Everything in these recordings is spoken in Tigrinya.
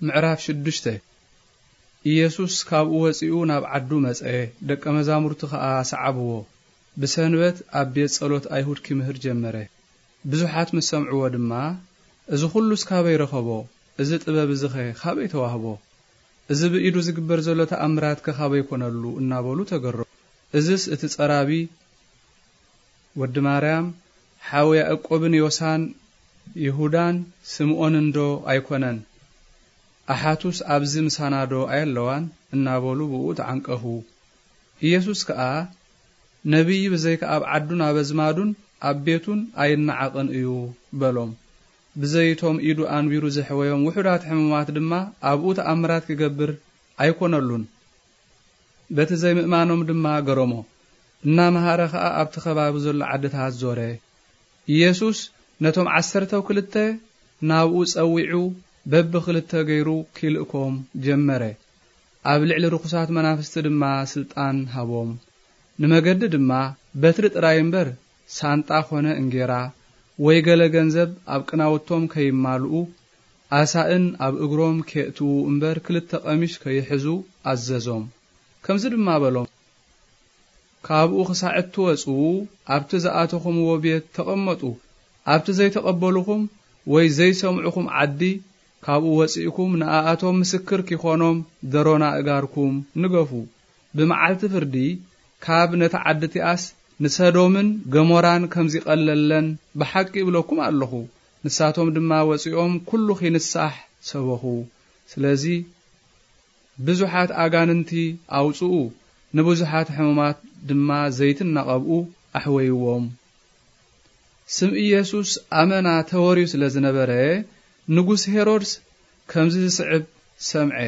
ምዕራፍ ሽዱሽተ። ኢየሱስ ካብኡ ወጺኡ ናብ ዓዱ መጸ፣ ደቀ መዛሙርቱ ኸኣ ሰዓብዎ። ብሰንበት ኣብ ቤት ጸሎት ኣይሁድ ኪምህር ጀመረ። ብዙሓት ምስ ሰምዕዎ ድማ፣ "እዚ ኹሉስ ካበይ ረኸቦ? እዚ ጥበብ እዚኸ ኻበይ ተዋህቦ? እዚ ብኢዱ ዝግበር ዘሎ ተኣምራትከ ኻበይ ኮነሉ?" እናበሉ ተገረሙ። "እዝስ እቲ ጸራቢ ወዲ ማርያም፣ ሓው ያዕቆብን ዮሳን፣ ይሁዳን ስምዖንን ዶ ኣይኮነን? ኣሓቱስ ኣብዚ ምሳና ዶ ኣየለዋን?" እናበሉ ብኡ ተዓንቀፉ። ኢየሱስ ከኣ፣ "ነቢይ ብዘይካ ኣብ ዓዱን ኣብ ኣዝማዱን ኣብ ቤቱን ኣይነዓቕን እዩ" በሎም። ብዘይቶም ኢዱ ኣንቢሩ ዘሕወዮም ውሑዳት ሕሙማት ድማ ኣብኡ ተኣምራት ክገብር ኣይኮነሉን። በቲ ዘይምእማኖም ድማ ገረሞ። እናመሃረ ኸኣ ኣብቲ ከባቢ ዘሎ ዓድታት ዞረ። ኢየሱስ ነቶም ዓሰርተው ክልተ ናብኡ ጸዊዑ በብኽልተ ገይሩ ኪልእኮም ጀመረ። ኣብ ልዕሊ ርኹሳት መናፍስቲ ድማ ስልጣን ሃቦም። ንመገዲ ድማ በትሪ ጥራይ እምበር ሳንጣ ኾነ እንጌራ ወይ ገለ ገንዘብ ኣብ ቅናውቶም ከይማልኡ፣ ኣሳእን ኣብ እግሮም ኬእትዉ እምበር ክልተ ቀሚሽ ከይሕዙ ኣዘዞም። ከምዚ ድማ በሎም፣ "ካብኡ ክሳዕ እትወጹ ኣብቲ ዝኣተኹምዎ ቤት ተቐመጡ። ኣብቲ ዘይተቐበሉኹም ወይ ዘይሰምዑኹም ዓዲ ካብኡ ወጺእኩም ንኣኣቶም ምስክር ኪኾኖም ደሮና እጋርኩም ንገፉ። ብመዓልቲ ፍርዲ ካብ ነቲ ዓዲ እቲኣስ ንሰዶምን ገሞራን ከም ዚቐለለን ብሓቂ እብለኩም ኣለኹ።" ንሳቶም ድማ ወጺኦም ኩሉ ኺንሳሕ ሰበኹ። ስለዚ ብዙሓት ኣጋንንቲ ኣውጽኡ፣ ንብዙሓት ሕሙማት ድማ ዘይትን እናቐብኡ ኣሕወይዎም። ስም ኢየሱስ ኣመና ተወርዩ ስለ ዝነበረ፣ ንጉስ ሄሮድስ ከምዚ ዝስዕብ ሰምዐ፣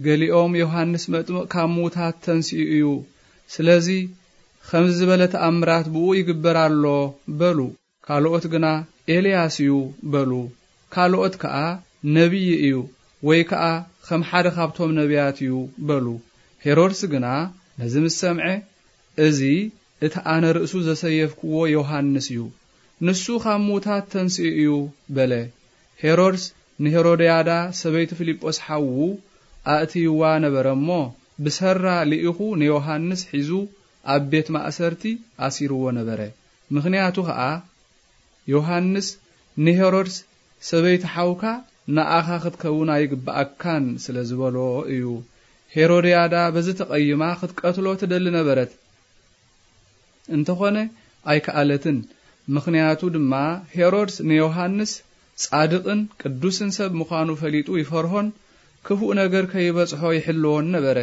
"ገሊኦም ዮሃንስ መጥምቕ ካብ ምዉታት ተንሲኡ እዩ፣ ስለዚ ከምዚ ዝበለ ተኣምራት ብኡ ይግበር ኣሎ" በሉ። ካልኦት ግና፣ "ኤልያስ እዩ" በሉ። ካልኦት ከኣ፣ "ነቢይ እዩ፣ ወይ ከኣ ከም ሓደ ካብቶም ነቢያት እዩ" በሉ። ሄሮድስ ግና ነዚ ምስ ሰምዐ፣ "እዚ እቲ ኣነ ርእሱ ዘሰየፍክዎ ዮሃንስ እዩ፣ ንሱ ካብ ምዉታት ተንሲኡ እዩ" በለ። ሄሮድስ ንሄሮድያዳ ሰበይቲ ፊልጶስ ሓዉ ኣእትይዋ ነበረ እሞ፣ ብሰራ ልኢኹ ንዮሃንስ ሒዙ ኣብ ቤት ማእሰርቲ ኣሲርዎ ነበረ። ምኽንያቱ ኸኣ፣ ዮሃንስ ንሄሮድስ፣ "ሰበይቲ ሓውካ ንኣኻ ክትከውን ኣይግብኣካን" ስለ ዝበሎ እዩ። ሄሮድያዳ በዚ ተቐይማ ክትቀትሎ ትደሊ ነበረት። እንተኾነ ኣይከኣለትን። ምኽንያቱ ድማ ሄሮድስ ንዮሃንስ ጻድቕን ቅዱስን ሰብ ምዃኑ ፈሊጡ ይፈርሆን ክፉእ ነገር ከይበጽሖ ይሕልዎን ነበረ።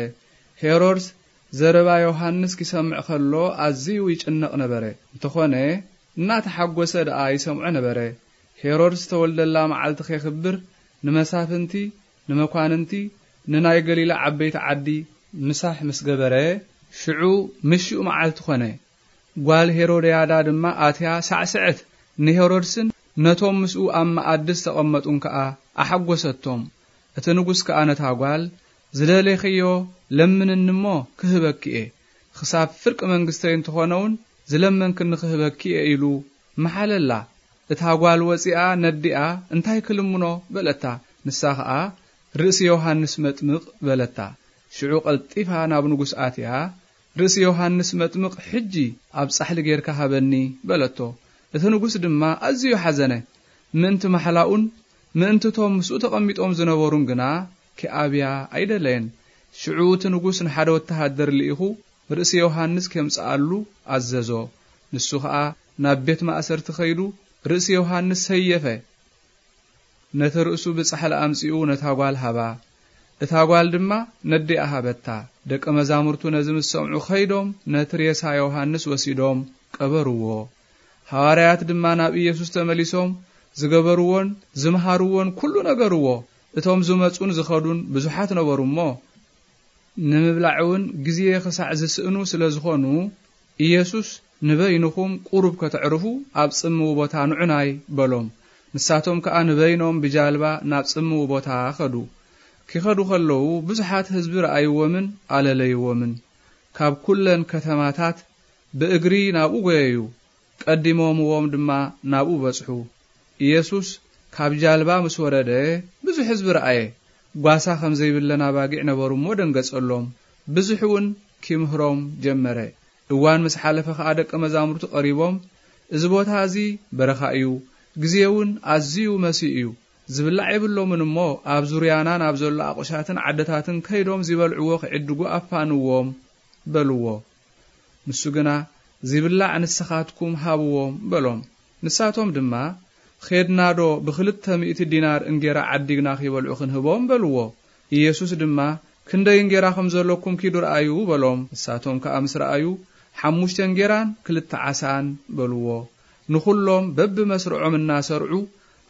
ሄሮድስ ዘረባ ዮሃንስ ኪሰምዕ ከሎ ኣዝዩ ይጭነቕ ነበረ። እንተኾነ እናተሓጎሰ ደኣ ይሰምዖ ነበረ። ሄሮድስ ዝተወልደላ መዓልቲ ኼኽብር ንመሳፍንቲ፣ ንመኳንንቲ፣ ንናይ ገሊላ ዓበይቲ ዓዲ ምሳሕ ምስ ገበረ፣ ሽዑ ምሽኡ መዓልቲ ኾነ። ጓል ሄሮድያዳ ድማ ኣትያ ሳዕስዐት፣ ንሄሮድስን ነቶም ምስኡ ኣብ መኣዲ ዝተቐመጡን ከኣ ኣሓጎሰቶም። እቲ ንጉስ ከኣ ነታ ጓል፣ "ዝደሌኽዮ ለምንኒ እሞ ክህበኪ እየ፣ ክሳብ ፍርቂ መንግስተይ እንተኾነ እውን ዝለመንክኒ ክህበኪ እየ" ኢሉ መሓለላ። እታ ጓል ወጺኣ ነዲኣ፣ "እንታይ ክልምኖ?" በለታ። ንሳ ኸኣ፣ "ርእሲ ዮሃንስ መጥምቕ" በለታ። ሽዑ ቀልጢፋ ናብ ንጉስ ኣትያ፣ "ርእሲ ዮሃንስ መጥምቕ ሕጂ ኣብ ጻሕሊ ጌርካ ሃበኒ" በለቶ። እቲ ንጉስ ድማ ኣዝዩ ሓዘነ። ምእንቲ ማሕላኡን ምእንቲ እቶም ምስኡ ተቐሚጦም ዝነበሩን ግና ኪኣብያ ኣይደለየን። ሽዑ እቲ ንጉስ ንሓደ ወተሃደር ልኢኹ ርእሲ ዮሃንስ ኬምጽኣሉ ኣዘዞ። ንሱ ኸኣ ናብ ቤት ማእሰርቲ ኸይዱ ርእሲ ዮሃንስ ሰየፈ። ነቲ ርእሱ ብጻሕሊ ኣምጺኡ ነታ ጓል ሃባ። እታ ጓል ድማ ነዲኣ ሃበታ። ደቀ መዛሙርቱ ነዚ ምስ ሰምዑ ኸይዶም ነቲ ሬሳ ዮሃንስ ወሲዶም ቀበርዎ። ሃዋርያት ድማ ናብ ኢየሱስ ተመሊሶም ዝገበርዎን ዝመሃርዎን ኩሉ ነገርዎ። እቶም ዝመጹን ዝኸዱን ብዙሓት ነበሩ እሞ፣ ንምብላዕ እውን ግዜ ኽሳዕ ዝስእኑ ስለ ዝኾኑ፣ ኢየሱስ፣ "ንበይንኹም ቁሩብ ከተዕርፉ ኣብ ጽምው ቦታ ንዑናይ" በሎም። ንሳቶም ከኣ ንበይኖም ብጃልባ ናብ ጽምው ቦታ ኸዱ። ኪኸዱ ኸለዉ ብዙሓት ህዝቢ ረኣይዎምን ኣለለይዎምን። ካብ ኩለን ከተማታት ብእግሪ ናብኡ ጐየዩ። ቀዲሞምዎም ድማ ናብኡ በጽሑ። ኢየሱስ ካብ ጃልባ ምስ ወረደ ብዙሕ ህዝቢ ረኣየ። ጓሳ ከም ዘይብለን ኣባጊዕ ነበሩ እሞ ደንገጸሎም። ብዙሕ እውን ኪምህሮም ጀመረ። እዋን ምስ ሓለፈ ኸኣ ደቀ መዛሙርቱ ቀሪቦም፣ "እዚ ቦታ እዚ በረኻ እዩ፣ ግዜ እውን ኣዝዩ መሲኡ እዩ። ዝብላዕ የብሎምን እሞ ኣብ ዙርያና ናብ ዘሎ ኣቑሻትን ዓድታትን ከይዶም ዚበልዕዎ ኺዕድጉ ኣፋንዎም" በልዎ። ንሱ ግና፣ "ዚብላዕ ንስኻትኩም ሃብዎም" በሎም። ንሳቶም ድማ፣ "ኼድናዶ ብኽልተ ሚእቲ ዲናር እንጌራ ዓዲግና ኺበልዑ ኽንህቦም?" በልዎ። ኢየሱስ ድማ፣ "ክንደይ እንጌራ ኸም ዘለኩም ኪዱ ርኣዩ" በሎም። ንሳቶም ከኣ ምስ ረኣዩ፣ "ሓሙሽተ እንጌራን ክልተ ዓሳን" በልዎ። ንኹሎም በብመስርዖም እናሰርዑ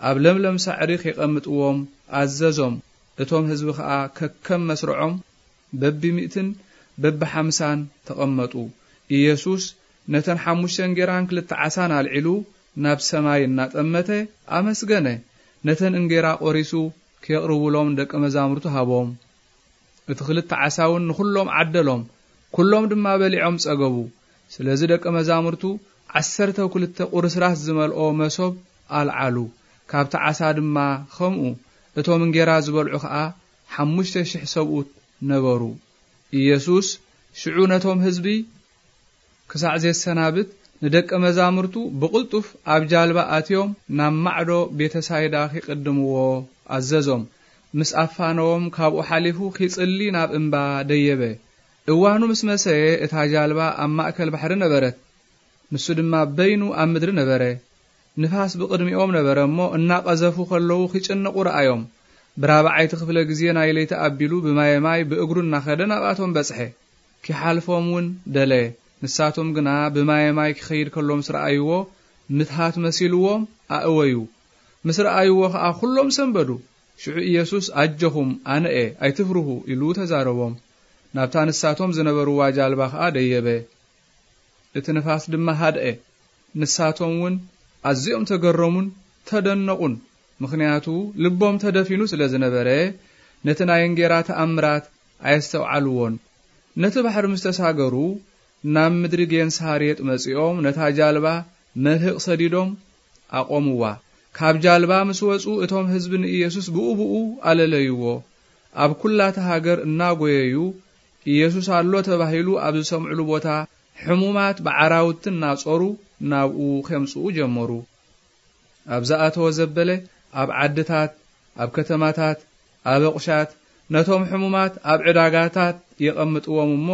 ኣብ ለምለም ሳዕሪ ኼቐምጥዎም ኣዘዞም። እቶም ህዝቢ ኸኣ ከከም መስርዖም በብሚእትን በብሓምሳን ተቐመጡ። ኢየሱስ ነተን ሓሙሽተ እንጌራን ክልተ ዓሳን ኣልዒሉ ናብ ሰማይ እናጠመተ ኣመስገነ። ነተን እንጌራ ቖሪሱ ኬቕርቡሎም ደቀ መዛሙርቱ ሃቦም። እቲ ክልተ ዓሳ እውን ንኹሎም ዓደሎም። ኩሎም ድማ በሊዖም ጸገቡ። ስለዚ ደቀ መዛሙርቱ ዓሰርተ ክልተ ቁርስራስ ዝመልኦ መሶብ ኣልዓሉ። ካብቲ ዓሳ ድማ ኸምኡ። እቶም እንጌራ ዝበልዑ ኸኣ ሓሙሽተ ሽሕ ሰብኡት ነበሩ። ኢየሱስ ሽዑ ነቶም ህዝቢ ክሳዕ ዜሰናብት ንደቀ መዛሙርቱ ብቕልጡፍ ኣብ ጃልባ ኣትዮም ናብ ማዕዶ ቤተሳይዳ ኺቕድምዎ ኣዘዞም። ምስ ኣፋነዎም ካብኡ ሓሊፉ ኺጽሊ ናብ እምባ ደየበ። እዋኑ ምስ መሰየ እታ ጃልባ ኣብ ማእከል ባሕሪ ነበረት። ንሱ ድማ በይኑ ኣብ ምድሪ ነበረ። ንፋስ ብቕድሚኦም ነበረ እሞ እናቐዘፉ ኸለዉ ኺጭነቑ ረኣዮም። ብራብዓይቲ ክፍለ ግዜ ናይ ለይቲ ኣቢሉ ብማየ ማይ ብእግሩ እናኸደ ናብኣቶም በጽሐ። ኪሓልፎም እውን ደለየ። ንሳቶም ግና ብማየ ማይ ኪኸይድ ከሎ ምስ ረኣይዎ፣ ምትሃት መሲልዎም ኣእወዩ። ምስ ረኣይዎ ኸኣ ኹሎም ሰንበዱ። ሽዑ ኢየሱስ፣ "ኣጆኹም፣ ኣነ እየ፣ ኣይትፍርሁ" ኢሉ ተዛረቦም። ናብታ ንሳቶም ዝነበርዋ ጃልባ ኸኣ ደየበ። እቲ ንፋስ ድማ ሃድአ። ንሳቶም እውን ኣዝዮም ተገረሙን ተደነቑን። ምኽንያቱ ልቦም ተደፊኑ ስለ ዝነበረ፣ ነቲ ናይ እንጌራ ተኣምራት ኣየስተውዓልዎን። ነቲ ባሕሪ ምስ ተሳገሩ፣ ናብ ምድሪ ጌንሳሬጥ መጺኦም ነታ ጃልባ መልህቕ ሰዲዶም ኣቖምዋ። ካብ ጃልባ ምስ ወጹ፣ እቶም ህዝቢ ንኢየሱስ ብኡ ብኡ ኣለለይዎ። ኣብ ኩላታ ሃገር እናጎየዩ፣ "ኢየሱስ ኣሎ" ተባሂሉ ኣብ ዝሰምዕሉ ቦታ፣ ሕሙማት ብዓራውቲ እናጾሩ ናብኡ ኼምጽኡ ጀመሩ። ኣብ ዝኣተወ ዘበለ፣ ኣብ ዓድታት፣ ኣብ ከተማታት፣ ኣብ ኣቑሻት፣ ነቶም ሕሙማት ኣብ ዕዳጋታት የቐምጥዎም እሞ፣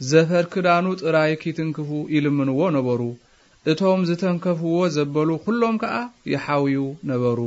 ዘፈር ክዳኑ ጥራይ ኪትንክፉ ይልምንዎ ነበሩ። እቶም ዝተንከፍዎ ዘበሉ ኩሎም ከኣ ይሓውዩ ነበሩ።